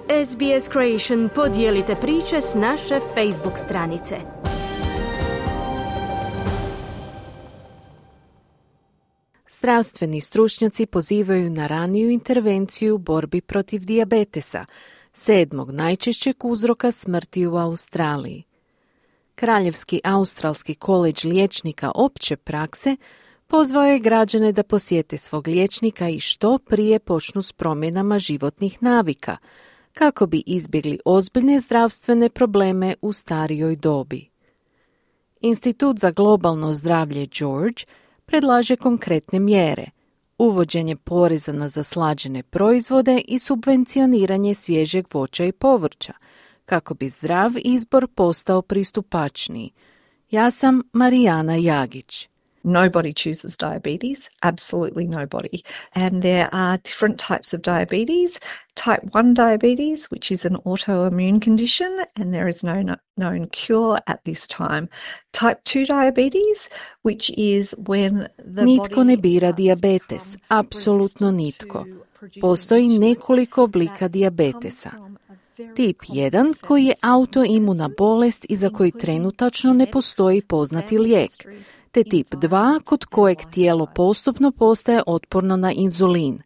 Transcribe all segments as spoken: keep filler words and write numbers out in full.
S B S Creation podijelite priče s naše Facebook stranice. Zdravstveni stručnjaci pozivaju na raniju intervenciju u borbi protiv dijabetesa, sedmog najčešćeg uzroka smrti u Australiji. Kraljevski australski koledž liječnika opće prakse pozvao je građane da posjete svog liječnika i što prije počnu s promjenama životnih navika, kako bi izbjegli ozbiljne zdravstvene probleme u starijoj dobi. Institut za globalno zdravlje George predlaže konkretne mjere, uvođenje poreza na zaslađene proizvode i subvencioniranje svježeg voća i povrća, kako bi zdrav izbor postao pristupačniji. Ja sam Marijana Jagić. Nobody chooses diabetes, absolutely nobody. And there are different types of diabetes. Type one diabetes, which is an autoimmune condition, and there is no known cure at this time. Type two diabetes, which is when the Nitko ne bira dijabetes, apsolutno nitko. Postoji nekoliko oblika dijabetesa. Tip jedan, koji je autoimuna bolest i za koji trenutačno ne postoji poznati lijek, te tip dva, kod kojeg tijelo postupno postaje otporno na inzulin.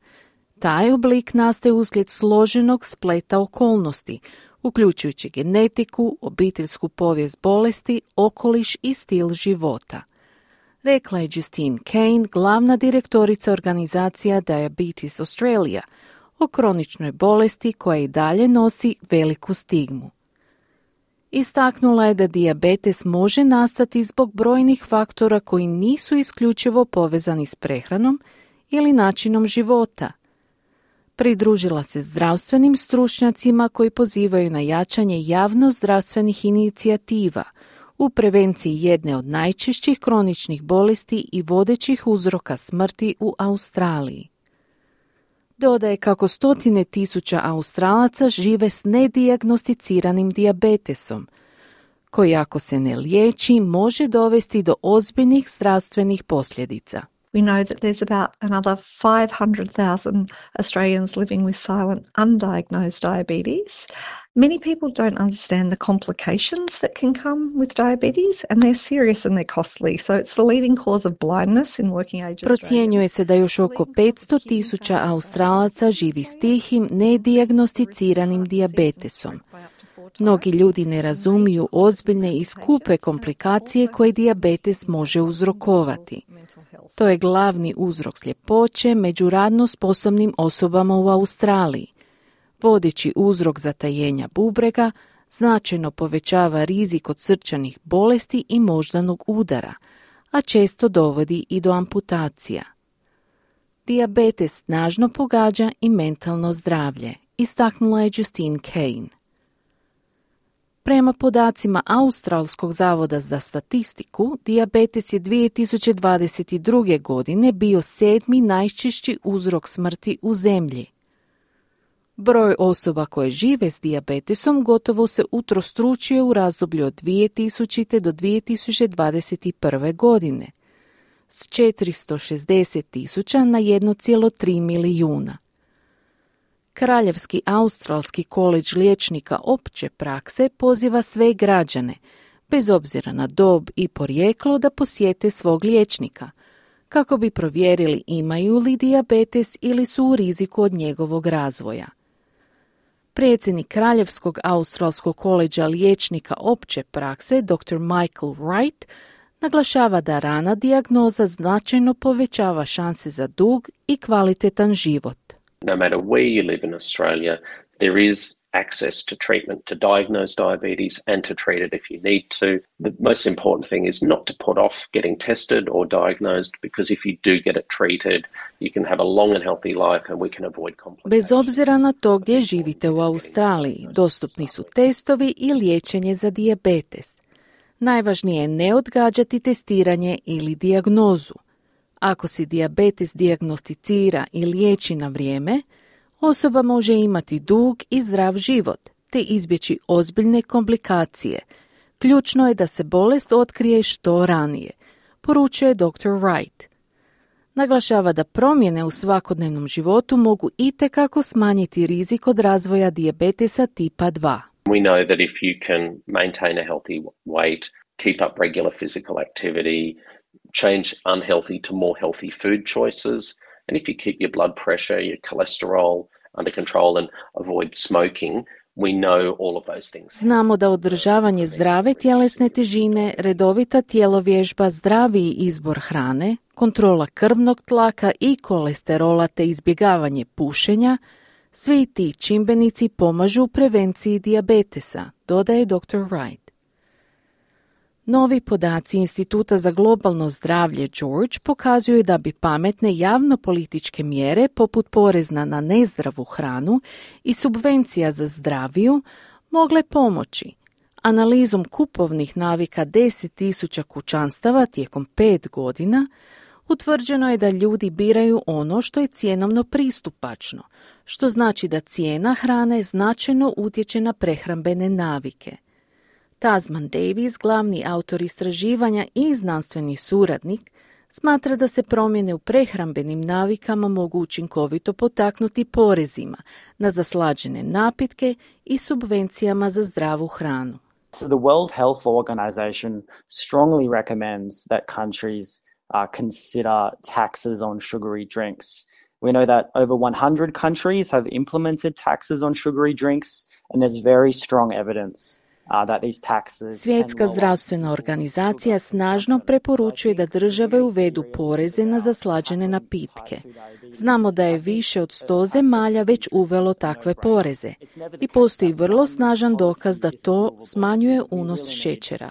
Taj oblik nastaje uslijed složenog spleta okolnosti, uključujući genetiku, obiteljsku povijest bolesti, okoliš i stil života. Rekla je Justine Kane, glavna direktorica organizacija Diabetes Australia, o kroničnoj bolesti koja i dalje nosi veliku stigmu. Istaknula je da dijabetes može nastati zbog brojnih faktora koji nisu isključivo povezani s prehranom ili načinom života. Pridružila se zdravstvenim stručnjacima koji pozivaju na jačanje javno-zdravstvenih inicijativa u prevenciji jedne od najčešćih kroničnih bolesti i vodećih uzroka smrti u Australiji. Dodaje kako stotine tisuća Australaca žive s nedijagnosticiranim dijabetesom, koji ako se ne liječi može dovesti do ozbiljnih zdravstvenih posljedica. We know that there's about another five hundred thousand Australians living with silent undiagnosed diabetes. Many people don't understand the complications that can come with diabetes, and they're serious and they're costly. So it's the leading cause of blindness in working age Australians. Procjenjuje se da još oko petsto tisuća Australaca živi s tihim, nedijagnosticiranim dijabetesom. Mnogi ljudi ne razumiju ozbiljne i skupe komplikacije koje dijabetes može uzrokovati. To je glavni uzrok sljepoće među radno sposobnim osobama u Australiji. Vodeći uzrok zatajenja bubrega značajno povećava rizik od srčanih bolesti i moždanog udara, a često dovodi i do amputacija. Dijabetes snažno pogađa i mentalno zdravlje, istaknula je Justine Kane. Prema podacima Australskog zavoda za statistiku, dijabetes je dvije tisuće dvadeset druge. godine bio sedmi najčešći uzrok smrti u zemlji. Broj osoba koje žive s dijabetesom gotovo se utrostručio u razdoblju od dvije tisućite. do dvije tisuće dvadeset prve. godine, s četiristo šezdeset tisuća na jedan zarez tri milijuna. Kraljevski australski koledž liječnika opće prakse poziva sve građane, bez obzira na dob i porijeklo, da posjete svog liječnika, kako bi provjerili imaju li dijabetes ili su u riziku od njegovog razvoja. Predsjednik Kraljevskog australskog koledža liječnika opće prakse, doktor Michael Wright, naglašava da rana dijagnoza značajno povećava šanse za dug i kvalitetan život. No matter where you live in Australia, there is access to treatment to diagnose diabetes and to treat it if you need to. The most important thing is not to put off getting tested or diagnosed, because if you do get it treated, you can have a long and healthy life and we can avoid complications. Bez obzira na to gdje živite u Australiji, dostupni su testovi i liječenje za dijabetes. Najvažnije je ne odgađati testiranje ili dijagnozu. Ako se dijabetes dijagnosticira i liječi na vrijeme, osoba može imati dug i zdrav život, te izbjeći ozbiljne komplikacije. Ključno je da se bolest otkrije što ranije, poručuje doktor Wright. Naglašava da promjene u svakodnevnom životu mogu itekako smanjiti rizik od razvoja dijabetesa tipa dva. We know that if you can maintain a healthy weight, keep up regular physical activity, change unhealthy to more healthy food choices, and if you keep your blood pressure, your cholesterol under control and avoid smoking, we know all of those things. Znamo da održavanje zdrave tjelesne težine, redovita tjelovježba, zdraviji izbor hrane, kontrola krvnog tlaka i kolesterola te izbjegavanje pušenja, svi ti čimbenici pomažu u prevenciji dijabetesa, dodaje doktor Wright. Novi podaci Instituta za globalno zdravlje George pokazuju da bi pametne javno-političke mjere poput porezna na nezdravu hranu i subvencija za zdraviju mogle pomoći. Analizom kupovnih navika deset tisuća kućanstava tijekom pet godina utvrđeno je da ljudi biraju ono što je cjenovno pristupačno, što znači da cijena hrane značajno utječe na prehrambene navike. Tasman Davies, glavni autor istraživanja i znanstveni suradnik, smatra da se promjene u prehrambenim navikama mogu učinkovito potaknuti porezima na zaslađene napitke i subvencijama za zdravu hranu. So the World Health Organization strongly recommends that countries uh, consider taxes on sugary drinks. We know that over one hundred countries have implemented taxes on sugary drinks, and there's very strong evidence. Svjetska zdravstvena organizacija snažno preporučuje da države uvedu poreze na zaslađene napitke. Znamo da je više od sto zemalja već uvelo takve poreze i postoji vrlo snažan dokaz da to smanjuje unos šećera.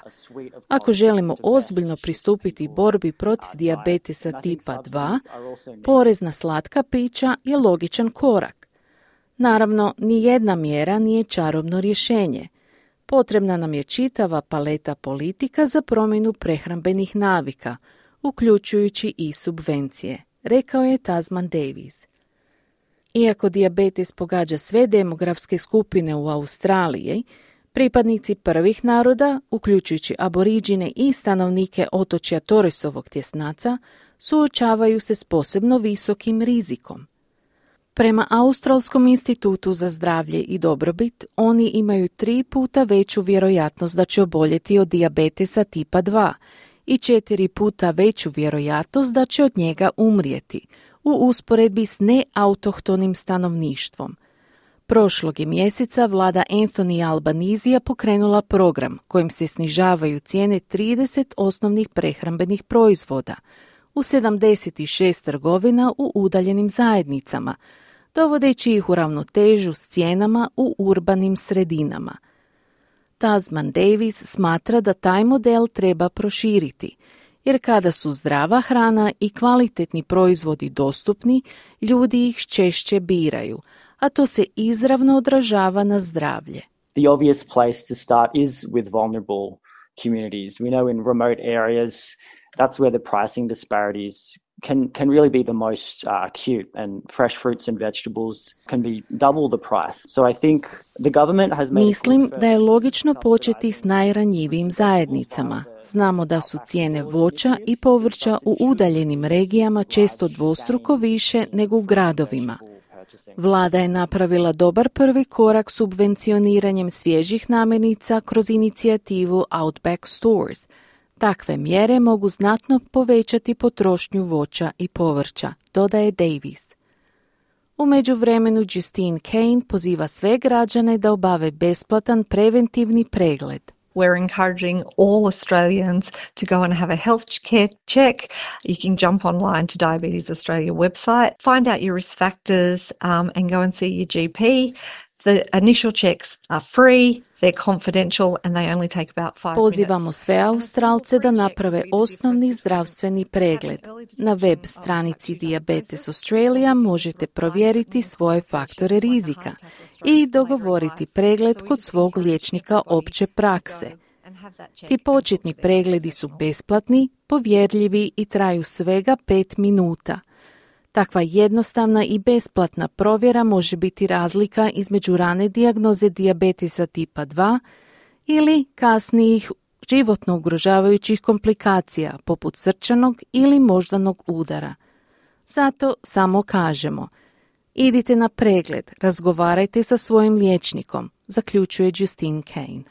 Ako želimo ozbiljno pristupiti borbi protiv dijabetesa tipa dva, porez na slatka pića je logičan korak. Naravno, ni jedna mjera nije čarobno rješenje. Potrebna nam je čitava paleta politika za promjenu prehrambenih navika, uključujući i subvencije, rekao je Tasman Davies. Iako dijabetes pogađa sve demografske skupine u Australiji, pripadnici prvih naroda, uključujući aboriđine i stanovnike otočja Torresovog tjesnaca, suočavaju se s posebno visokim rizikom. Prema Australskom institutu za zdravlje i dobrobit, oni imaju tri puta veću vjerojatnost da će oboljeti od dijabetesa tipa dva i četiri puta veću vjerojatnost da će od njega umrijeti, u usporedbi s neautohtonim stanovništvom. Prošlog je mjeseca vlada Anthony Albanizija pokrenula program kojim se snižavaju cijene trideset osnovnih prehrambenih proizvoda u sedamdeset šest trgovina u udaljenim zajednicama, dovodeći ih u ravnotežu s cijenama u urbanim sredinama. Tasman Davies smatra da taj model treba proširiti, jer kada su zdrava hrana i kvalitetni proizvodi dostupni, ljudi ih češće biraju, a to se izravno odražava na zdravlje. The obvious place to start is with vulnerable communities. We know in remote areas that's where the pricing disparities can can really be the most uh, acute, and fresh fruits and vegetables can be double the price. So I think the government has made Mislim da je logično početi s najranjivijim zajednicama. Znamo da su cijene voća i povrća u udaljenim regijama često dvostruko više nego u gradovima. Vlada je napravila dobar prvi korak subvencioniranjem svježih namirnica kroz inicijativu Outback Stores. Takve mjere mogu znatno povećati potrošnju voća i povrća, dodaje Davies. U međuvremenu Justine Kane poziva sve građane da obave besplatan preventivni pregled. We're encouraging all Australians to go and have a health care check. You can jump online to Diabetes Australia website, find out your risk factors um, and go and see your G P. The initial checks are free, they're confidential and they only take about five minutes. Pozivamo sve Australce da naprave osnovni zdravstveni pregled. Na web stranici Diabetes Australia možete provjeriti svoje faktore rizika i dogovoriti pregled kod svog liječnika opće prakse. Ti početni pregledi su besplatni, povjerljivi i traju svega pet minuta. Takva jednostavna i besplatna provjera može biti razlika između rane dijagnoze dijabetesa tipa dva ili kasnijih životno ugrožavajućih komplikacija poput srčanog ili moždanog udara. Zato samo kažemo, idite na pregled, razgovarajte sa svojim liječnikom, zaključuje Justine Cain.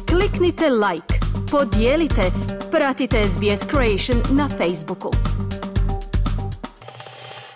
Kliknite like, podijelite, pratite S B S Creation na Facebooku.